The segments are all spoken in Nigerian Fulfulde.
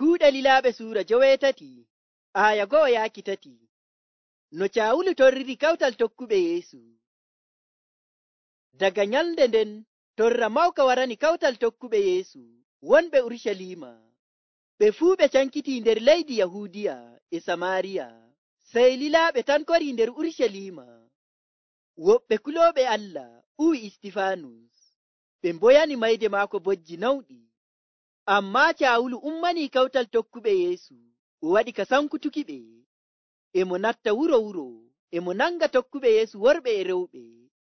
Kuuɗe Lilaaɓe Suura 17 aya 1-3. No Caawulu torriri kawtal tokkuɓe Yeesu. Daga nyalnde nden torra mawka warani kawtal tokkuɓe Yeesu wonɓe Urucaliima. Ɓe fuu ɓe cankiti nder leydi Yahuudiya e Samaariya, sey lilaaɓe tan korii nder Urucaliima. Woɓɓe kulooɓe Allah uwi Istifaanus, ɓe mboyani mayde maako bojji nawɗi. Ammaa Caawulu ummanii kawtal tokkuɓe Yeesu, o waɗi ka sankutukiɓe. E mo natta wuro, e mo nanga tokkuɓe Yeesu worɓe e rewɓe,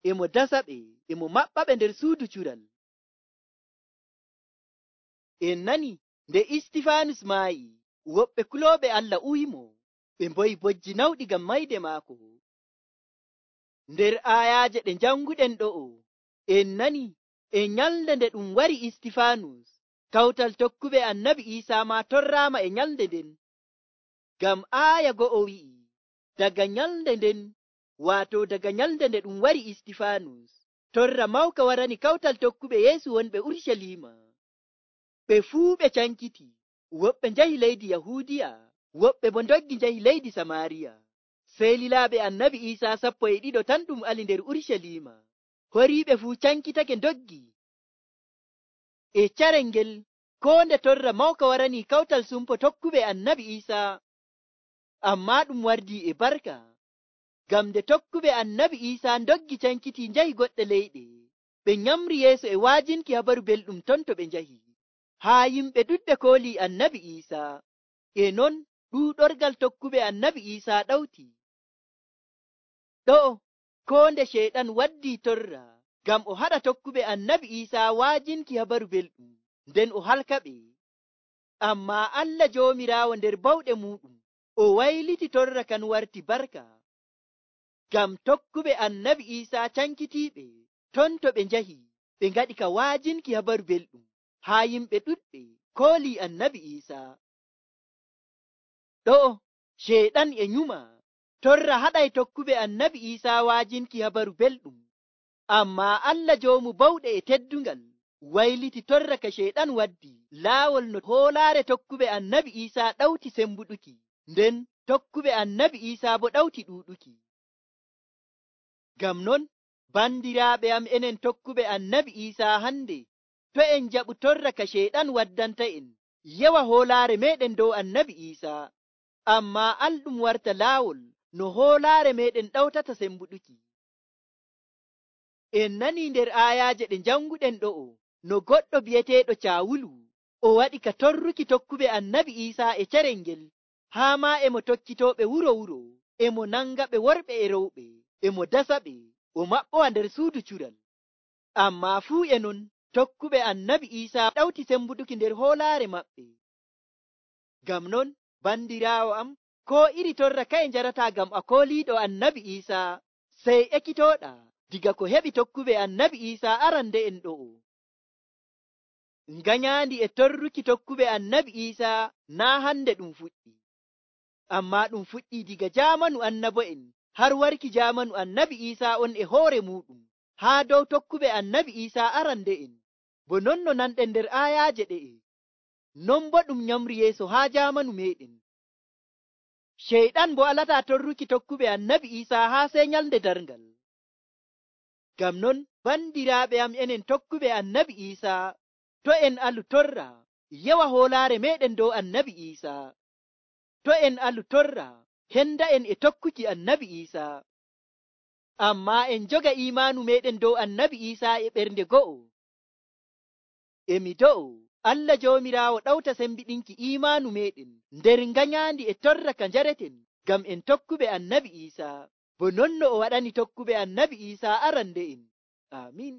e mo dasaɓe, e mo maɓɓaɓe nder suudu cural. En nani nde Istifaanus maayi, woɓɓe kulooɓe Allah uwimo, ɓe mboyi bojji nawɗi ngam mayde maako. Nder aayaaje ɗe janguɗen ɗo'o, en nani e nyalnde nde ɗum wari Istifaanus, kawtal tokkuɓe Annabi Iisaa maa torraama e nyalnde nden. Ngam aaya 2 wi'i, daga nyalnde nden, waato daga nyalnde nde ɗum wari Istifaanus, torra mawka warani kawtal tokkuɓe Yeesu wonɓe Urucaliima. Ɓe fuu ɓe cankiti, woɓɓe njahi leydi Yahuudiya, woɓɓe bo ndoggi njahi leydi Samaariya. Sey lilaaɓe Annabi Iisaa 12 tan ɗum ali nder Urucaliima. Horiiɓe fuu cankitake ndoggi. E carel ngel, koo nde torra mawka warani kawtal sumpo tokkuɓe Annabi Iisaa, ammaa ɗum wardii e barka. Ngam nde tokkuɓe Annabi Iisaa ndoggi cankiti njahi goɗɗe leyɗe, ɓe nyamri yeeso e waajinki habaru belɗum ton to ɓe njahi. Haa yimɓe ɗuɗɓe koolii Annabi Iisaa, e non ɗuuɗorgal tokkuɓe Annabi Iisaa ɗawti. Ɗo'o koo nde Ceyɗan waddii torra ngam o haɗa tokkuɓe Annabi Iisaa waajinki habaru belɗum, nden o halkaɓe. Ammaa Allah Joomiraawo nder bawɗe muuɗum, o wayliti torra kan warti barka. Ngam tokkuɓe Annabi Iisaa cankitiiɓe ton to ɓe njahi, ɓe ngaɗi ka waajinki habaru belɗum, haa yimɓe ɗuɗɓe koolii Annabi Iisaa. Ɗo'o Ceyɗan e nyuma, torra haɗay tokkuɓe Annabi Iisaa waajinki habaru belɗum. Ammaa Allah Joomu bawɗe e teddungal wayliti torra ka Ceyɗan waddi laawol no hoolaare tokkuɓe Annabi Iisaa ɗawti sembuɗuki, nden tokkuɓe Annabi Iisaa bo ɗawti ɗuuɗuki. Ngam non, bandiraaɓe am enen tokkuɓe Annabi Iisaa hande, to en jaɓu torra ka Ceyɗan waddanta'en yewa hoolaare meeɗen dow Annabi Iisaa, ammaa alɗum warta laawol no hoolaare meeɗen ɗawtata sembuɗuki. En nanii nder aayaaje ɗe janguɗen ɗo'o, no goɗɗo bi'eteeɗo Caawulu, o waɗi ka torruki tokkuɓe Annabi Iisaa e carel ngel, haa maa emo tokkitooɓe wuro, emo nangaɓe worɓe e rewɓe, emo dasaɓe, o maɓɓowa nder suudu cural. Ammaa fuu e non, tokkuɓe Annabi Iisaa ɗawti sembuɗuki nder hoolaare maɓɓe. Ngam non, bandiraawo am, koo iri torra kaye njarataa ngam a kooliiɗo Annabi Iisaa, sey ekkitooɗaa diga ko heɓi tokkuɓe Annabi Iisaa arande'en ɗo'o. Nganyaandi e torruki tokkuɓe Annabi Iisaa naa hande ɗum fuɗɗi, ammaa ɗum fuɗɗii diga jaamanu annabo'en har warki jaamanu Annabi Iisaa on e hoore muuɗum, haa dow tokkuɓe Annabi Iisaa arande'en. Bo non no nanɗen nder aayaaje ɗe'e, non bo ɗum nyamri yeeso haa jaamanu meeɗen. Ceyɗan bo alataa torruki tokkuɓe Annabi Iisaa haa sey nyalnde darngal. Ngam non, bandiraaɓe am enen tokkuɓe Annabi Iisaa, to en alu torra yewa hoolaare meeɗen dow Annabi Iisaa. To en alu torra henda'en e tokkuki Annabi Iisaa. Ammaa en joga iimaanu meeɗen dow Annabi Iisaa e ɓernde go'o. Emi do'o Allah Joomiraawo ɗawta sembiɗinki iimaanu meeɗen nder nganyaandi e torra ka njareten ngam en tokkuɓe Annabi Iisaa, bo non no o waɗani tokkuɓe Annabi Iisaa arande'en. Amiin.